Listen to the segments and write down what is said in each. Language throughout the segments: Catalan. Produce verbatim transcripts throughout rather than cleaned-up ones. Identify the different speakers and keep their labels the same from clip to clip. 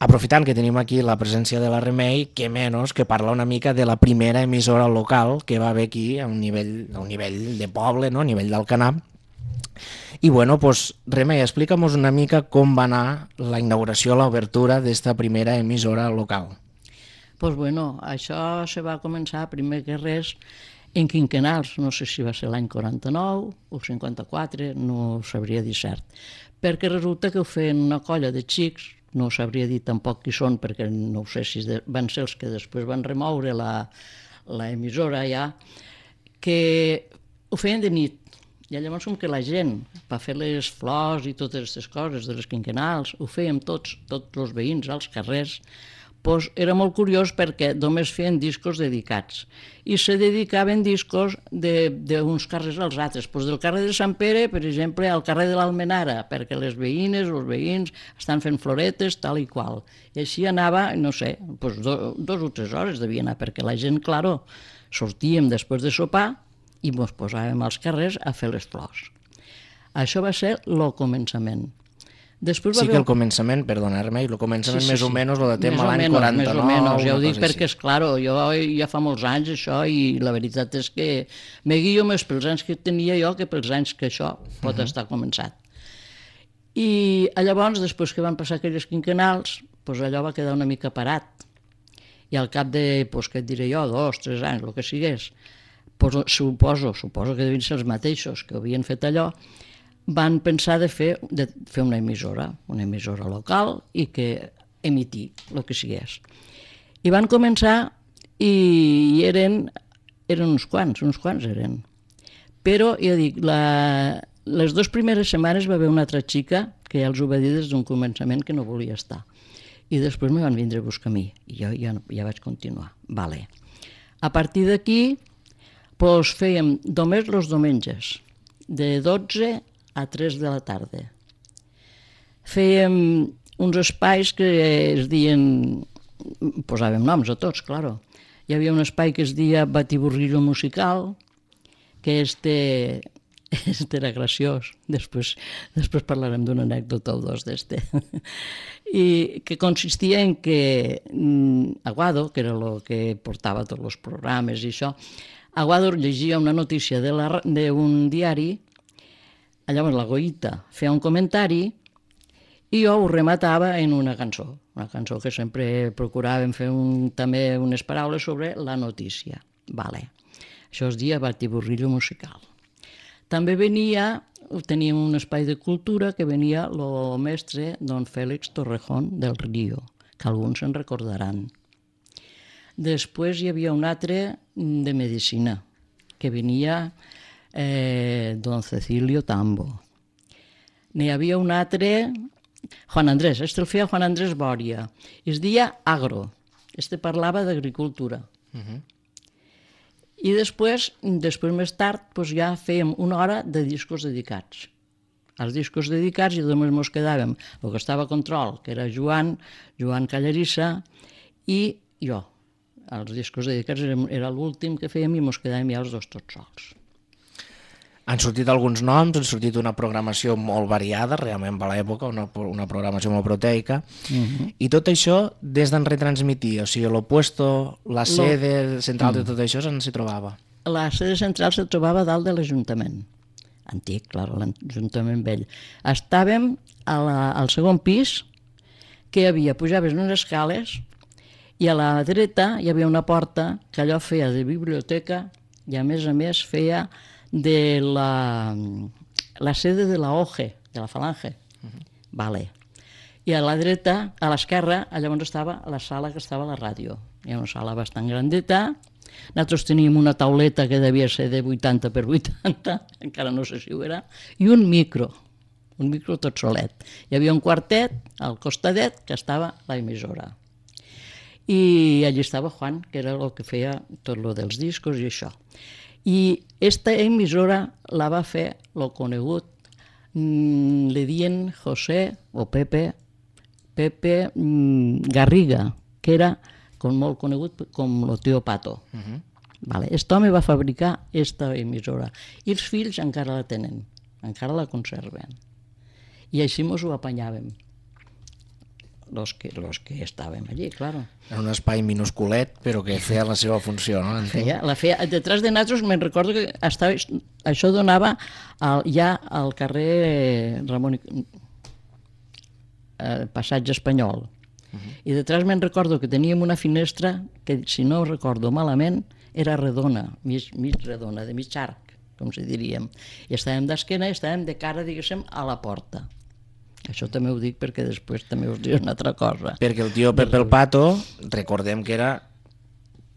Speaker 1: aprofitant que tenim aquí la presència de la Remei, que menys que parla una mica de la primera emissora local que va haver aquí a un nivell, a un nivell de poble, no? A nivell d'Alcanar. I bueno, pues, Remei, explica'm una mica com va anar la inauguració, l'obertura d'esta primera emissora local.
Speaker 2: Pues bueno, això se va començar primer que res en quinquenals, no sé si va ser l'any quaranta-nou o cinquanta-quatre, no ho sabria dir cert, perquè resulta que ho feien una colla de xics, no sabria dir tampoc qui són, perquè no sé si van ser els que després van remoure l'emissora ja, que ho feien de nit. I llavors com que la gent, per fer les flors i totes aquestes coses de les quinquenals, ho fèiem tots, tots els veïns als carrers, doncs era molt curiós perquè només feien discos dedicats. I se dedicaven discos d'uns carrers als altres. Doncs del carrer de Sant Pere, per exemple, al carrer de l'Almenara, perquè les veïnes, els veïns, estan fent floretes, tal i qual. I així anava, no sé, doncs dos o tres hores devia anar, perquè la gent, claro, sortíem després de sopar i ens posàvem als carrers a fer les flors. Això va ser el començament.
Speaker 1: Sí que el començament, perdona-me, el començament més o menys el datem a l'any quaranta-nou.
Speaker 2: Més o menys, ja ho dic perquè, esclar, jo ja fa molts anys això i la veritat és que me guio més pels anys que tenia jo que pels anys que això pot estar començat. I llavors, després que van passar aquelles quinquenals, allò va quedar una mica parat. I al cap de, què et diré jo, dos, tres anys, el que sigués, suposo, suposo que devien ser els mateixos que havien fet allò, van pensar de fer, de fer una emissora, una emissora local i que emitir el que sigués. I van començar i eren, eren uns quants, uns quants eren. Però, jo dic, la, les dues primeres setmanes va haver una altra xica que ja els ho va dir des d'un començament que no volia estar. I després me van vindre a buscar a mi i jo ja, ja vaig continuar. Vale. A partir d'aquí, doncs fèiem només els diumenges, de dotze a tres de la tarda. Fèiem uns espais que es deien, posàvem noms a tots, claro. Hi havia un espai que es deia Batiburrillo musical, que este, este era graciós, després, després parlarem d'una anècdota o dos d'este, i que consistia en que Aguado, que era el que portava tots els programes i això, Aguado llegia una notícia d'un diari. Llavors la Goïta feia un comentari i jo ho rematava en una cançó, una cançó que sempre procuràvem fer un, també unes paraules sobre la notícia. Vale. Això es deia Batiburrillo musical. També venia, teníem un espai de cultura que venia el mestre don Félix Torrejón del Río, que alguns se'n recordaran. Després hi havia un altre de medicina, que venia Eh, don Cecilio Tambo. N'hi havia un altre, Juan Andrés, este el feia Juan Andrés Bòria, es deia Agro, este parlava d'agricultura. Uh-huh. I després, després més tard, doncs ja fèiem una hora de discos dedicats. Els discos dedicats i només ens quedàvem el que estava a control, que era Joan, Joan Callarissa i jo. Els discos dedicats era l'últim que fèiem i ens quedàvem ja els dos tots sols.
Speaker 1: Han sortit alguns noms, han sortit una programació molt variada, realment a l'època, una, una programació molt proteica, uh-huh. I tot això des d'en retransmitir, o sigui, l'opuesto, la sede central de tot això, on s'hi trobava?
Speaker 2: La sede central se trobava dalt de l'Ajuntament, antic, clar, l'Ajuntament vell. Estàvem a la, al segon pis, que hi havia, pujaves unes escales, i a la dreta hi havia una porta que allò feia de biblioteca i a més a més feia de la, la sede de la O G E, de la Falange. Uh-huh. Vale. I a la dreta, a l'esquerra, llavors estava la sala que estava a la ràdio. Hi ha una sala bastant grandeta. Nosaltres teníem una tauleta que devia ser de vuitanta per vuitanta, encara no sé si ho era, i un micro, un micro tot solet. Hi havia un quartet al costadet que estava la emissora. I allí estava Juan, que era el que feia tot el dels discos i això. I aquesta emissora la va fer el conegut, mmm, li dien José o Pepe, Pepe mmm, Garriga, que era com molt conegut com el tio Pato. Uh-huh. Vale. Aquest home va fabricar aquesta emissora i els fills encara la tenen, encara la conserven. I així mos ho apanyàvem. los que, los que estàvem allí, claro.
Speaker 1: Era un espai minusculet, però que feia la seva funció, no?
Speaker 2: Feia, la feia, detrás de nosaltres me'n recordo que estava, això donava al, ja al carrer Ramon i, eh, Passatge Espanyol. Uh-huh. I detrás me'n recordo que teníem una finestra que, si no recordo malament, era redona, mig, mig redona, de mig arc, com si diríem. I estàvem d'esquena i estàvem de cara, diguéssim, a la porta. Això també ho dic perquè després també us diré una altra cosa.
Speaker 1: Perquè el tio Pepe el Pato, recordem que era,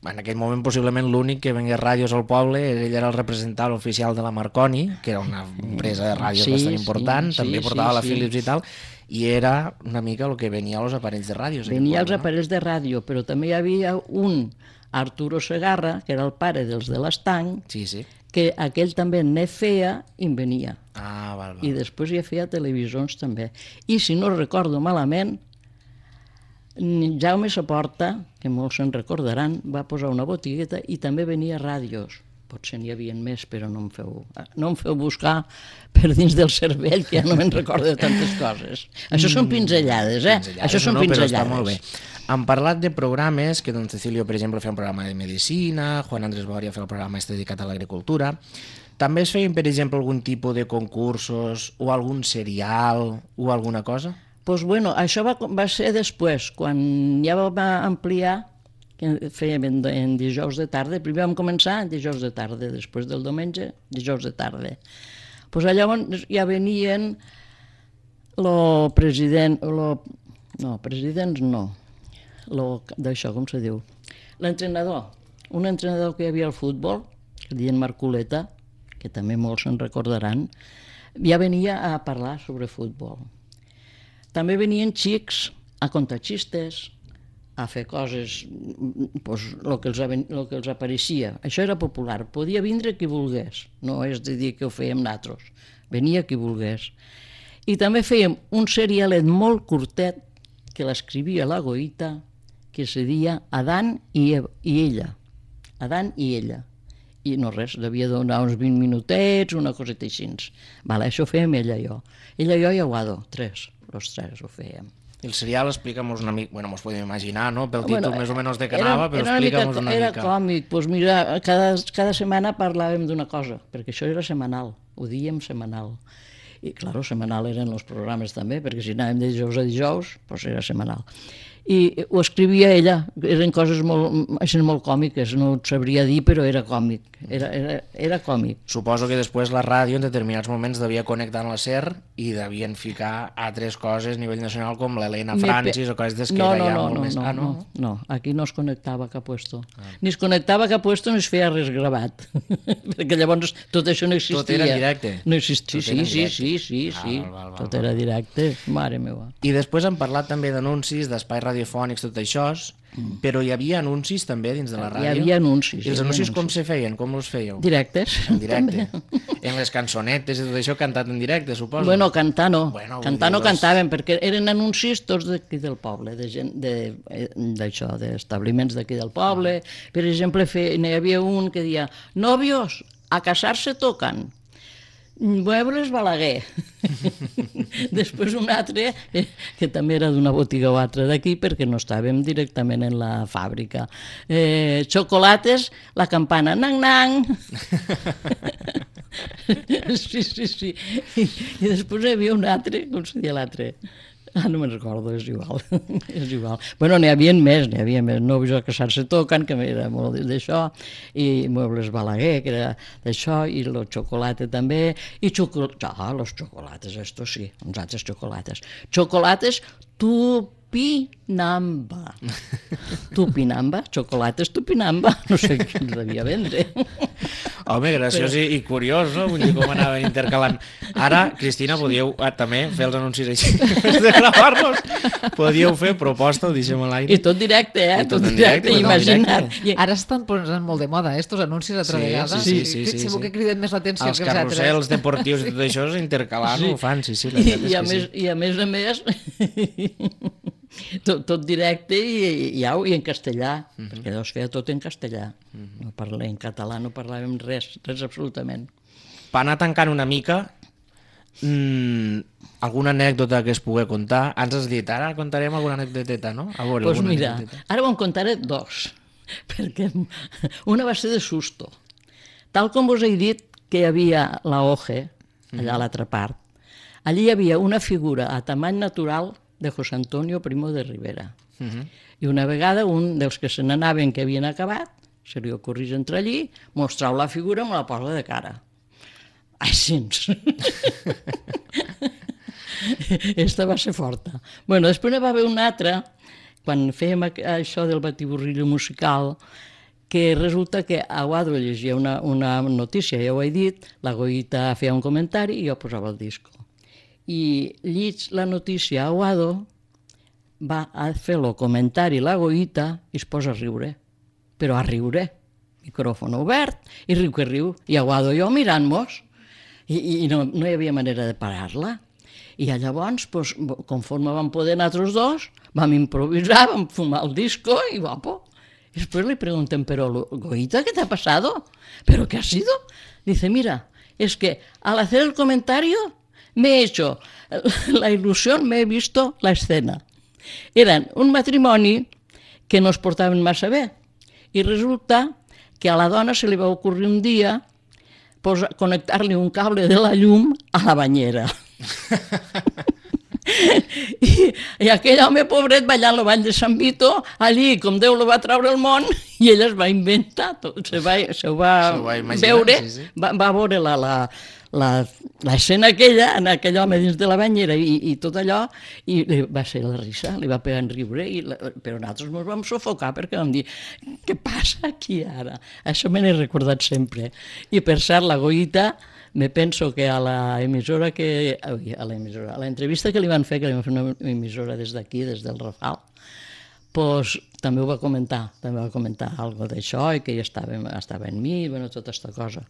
Speaker 1: en aquell moment possiblement l'únic que vengués ràdios al poble, ell era el representant oficial de la Marconi, que era una empresa de ràdios sí, bastant important, sí, també portava sí, la Philips sí. i tal, i era una mica el que venia als aparells de ràdios.
Speaker 2: Venia als no? aparells de ràdio, però també hi havia un Arturo Segarra, que era el pare dels de l'Estanc,
Speaker 1: sí, sí.
Speaker 2: que aquell també ne feia i en venia.
Speaker 1: Ah, val, val.
Speaker 2: I després ja feia televisions també. I si no recordo malament, Jaume Saporta, que molts se'n recordaran, va posar una botigueta i també venia ràdios. Potser n'hi havia més, però no em feu, no em feu buscar per dins del cervell, que ja no me'n recordo de tantes coses. Això són pinzellades, eh?
Speaker 1: Pinzellades,
Speaker 2: Això són
Speaker 1: no,
Speaker 2: pinzellades.
Speaker 1: Però està molt bé. Han parlat de programes, que don Cecilio, per exemple, feia un programa de medicina, Juan Andrés Boria feia el programa este dedicat a l'agricultura. També es feien, per exemple, algun tipus de concursos o algun serial o alguna cosa?
Speaker 2: Doncs pues bueno, això va, va ser després, quan ja va ampliar, que fèiem en, en dijous de tarda. Primer vam començar en dijous de tarda, després del diumenge, dijous de tarda. Doncs pues llavors ja venien el president, lo, no, presidents no, d'això, com se diu? L'entrenador, un entrenador que hi havia al futbol, que deien Marculeta, que també molts se'n recordaran, ja venia a parlar sobre futbol. També venien xics a contar xistes, a fer coses, pues, el que els, el que els apareixia. Això era popular, podia vindre qui volgués, no és de dir que ho fèiem nosaltres, venia qui volgués. I també fèiem un serialet molt curtet que l'escrivia la Goïta, que se deia Adán i, i ella. Adán i ella. I no res, devia donar uns vint minutets, una coseta així. Vale, això ho fèiem ella i jo. Ella i jo i Aguado, tres, els tres ho fèiem.
Speaker 1: El serial, explica'm-nos una mica, bueno, mos podem imaginar, no?, pel títol bueno, més o menys de què anava, però explica'm-nos una
Speaker 2: era
Speaker 1: mica.
Speaker 2: Era còmic, doncs mira, cada, cada setmana parlàvem d'una cosa, perquè això era setmanal, ho dèiem setmanal. I, clar, setmanal eren els programes també, perquè si anàvem de dijous a dijous, doncs era setmanal. I ho escrivia ella, eren coses molt, molt còmiques, no et sabria dir, però era còmic, era, era, era còmic.
Speaker 1: Suposo que després la ràdio en determinats moments devia connectar amb la SER i devien ficar altres coses a nivell nacional com l'Helena Francis o coses des que
Speaker 2: no,
Speaker 1: era
Speaker 2: no,
Speaker 1: ja
Speaker 2: no,
Speaker 1: molt
Speaker 2: no,
Speaker 1: més...
Speaker 2: No,
Speaker 1: ah, no?
Speaker 2: no, no, aquí no es connectava cap puesto. Ah. Ni es connectava cap puesto ni es feia res gravat, perquè llavors tot això no existia.
Speaker 1: Tot era directe?
Speaker 2: No existia, sí, sí, sí, sí, sí,
Speaker 1: val, val, val,
Speaker 2: tot era directe, mare meva.
Speaker 1: I després han parlat també d'anuncis, d'espais radiofònics, tot això, mm. però hi havia anuncis també dins de la ràdio?
Speaker 2: Hi havia anuncis.
Speaker 1: I els anuncis com se feien? Com els fèieu?
Speaker 2: Directes.
Speaker 1: En directe. En les cançonetes i tot això cantat en directe, suposo?
Speaker 2: Bueno, cantar no.
Speaker 1: Bueno,
Speaker 2: cantar no
Speaker 1: les...
Speaker 2: cantàvem, perquè eren anuncis tots d'aquí del poble, de gent d'això, de, d'establiments d'aquí del poble. Per exemple, fe, n'hi havia un que deia «Novios, a casar-se tocan». Muebles Balaguer. Després un altre, eh, que també era d'una botiga o altra d'aquí, perquè no estàvem directament en la fàbrica. Eh, xocolates, la campana, nang-nang. Sí, sí, sí. I, I després hi havia un altre, com se deia l'altre? Ah, no me'n recordo, és igual. És igual. Bueno, n'hi havia més, n'hi havia més. Novis a casar-se toquen, que era molt d'això, i Muebles Balaguer, que era d'això, i el xocolate també, i xocolates, ah, los chocolates, esto sí, uns altres xocolates. Xocolates Tupinamba. Tupinamba, xocolates Tupinamba, no sé qui els devia vendre.
Speaker 1: Home, graciós i, i curiós, no? Vull dir, com anaven intercalant. Ara, Cristina, podíeu ah, també fer els anuncis així, de gravar-los. Podíeu fer proposta, ho deixem a l'aire.
Speaker 2: I tot directe, eh?
Speaker 1: I tot, tot
Speaker 2: directe,
Speaker 1: directe,
Speaker 2: imagina't.
Speaker 3: I ara estan posant molt de moda, eh, estos anuncis altra
Speaker 1: sí,
Speaker 3: vegada.
Speaker 1: Sí, sí, sí. sí, sí,
Speaker 3: segur
Speaker 1: sí.
Speaker 3: que criden més l'atenció
Speaker 1: els
Speaker 3: que els altres. Els
Speaker 1: carrusels deportius i tot això, intercalant, sí. Ho fan, sí, sí. La
Speaker 2: I, i, a
Speaker 1: més,
Speaker 2: sí. I a més a més... Tot, tot directe i, i, i en castellà, uh-huh. perquè allò es feia tot en castellà. Uh-huh. No parlem en català, no parlàvem res, res absolutament.
Speaker 1: Per anar tancant una mica, Mm, alguna anècdota que es pugui contar? Ens has dit, ara contarem alguna anècdoteta, no? A veure,
Speaker 2: Doncs pues
Speaker 1: alguna
Speaker 2: mira,
Speaker 1: anècdoteta.
Speaker 2: ara en contaré dos, perquè una va ser de susto. Tal com us he dit que hi havia la O G E, allà a l'altra part, allí hi havia una figura a tamany natural de José Antonio Primo de Rivera.
Speaker 1: Uh -huh.
Speaker 2: I una vegada un dels que se n'anaven que havien acabat, se li ocorrís entrar allí, mostrau la figura i me la posa de cara. Així. Esta va ser forta. Bueno, després n'hi va haver una altra, quan fèiem això del batiburrillo musical, que resulta que a Guado llegia una, una notícia, ja ho he dit, la Goïta feia un comentari i jo posava el disco. I llig la notícia a Guado, va a fer el comentari la Goïta i es posa a riure, però a riure, micròfon obert, i riu que riu, i a Guado jo mirant-nos, i, i no, no hi havia manera de parar-la. I llavors, pues, conforme vam poder nosaltres dos, vam improvisar, vam fumar el disco i guapo. Y después le preguntan, pero Goïta, ¿qué te ha pasado? ¿Pero qué ha sido? Dice, mira, es que al hacer el comentario me he hecho la ilusión, me he visto la escena. Eran un matrimoni que no es portaven massa bé i resulta que a la dona se li va ocurrir un dia connectar-li un cable de la llum a la banyera. I, i aquell home pobret ballant el ball de Sant Vito, allí com Déu lo va treure al món, i ell es va inventar tot, se, va, se ho va,
Speaker 1: se ho va imaginar,
Speaker 2: veure,
Speaker 1: sí, sí.
Speaker 2: Va, va veure la, la, la, l'escena aquella, en aquell home dins de la banyera i, i tot allò, i li va ser la risa, li va pegar en riure, i la, però nosaltres ens vam sufocar perquè vam dir, què passa aquí ara? Això me n'he recordat sempre. I per cert, la Goïta, me penso que a la emissora que... a la emissora, a la entrevista que li van fer, que li van fer una emissora des d'aquí, des del Rafal, pues, també ho va comentar, també va comentar alguna d'això i que ella estava, estava en mi, bueno, tota aquesta cosa.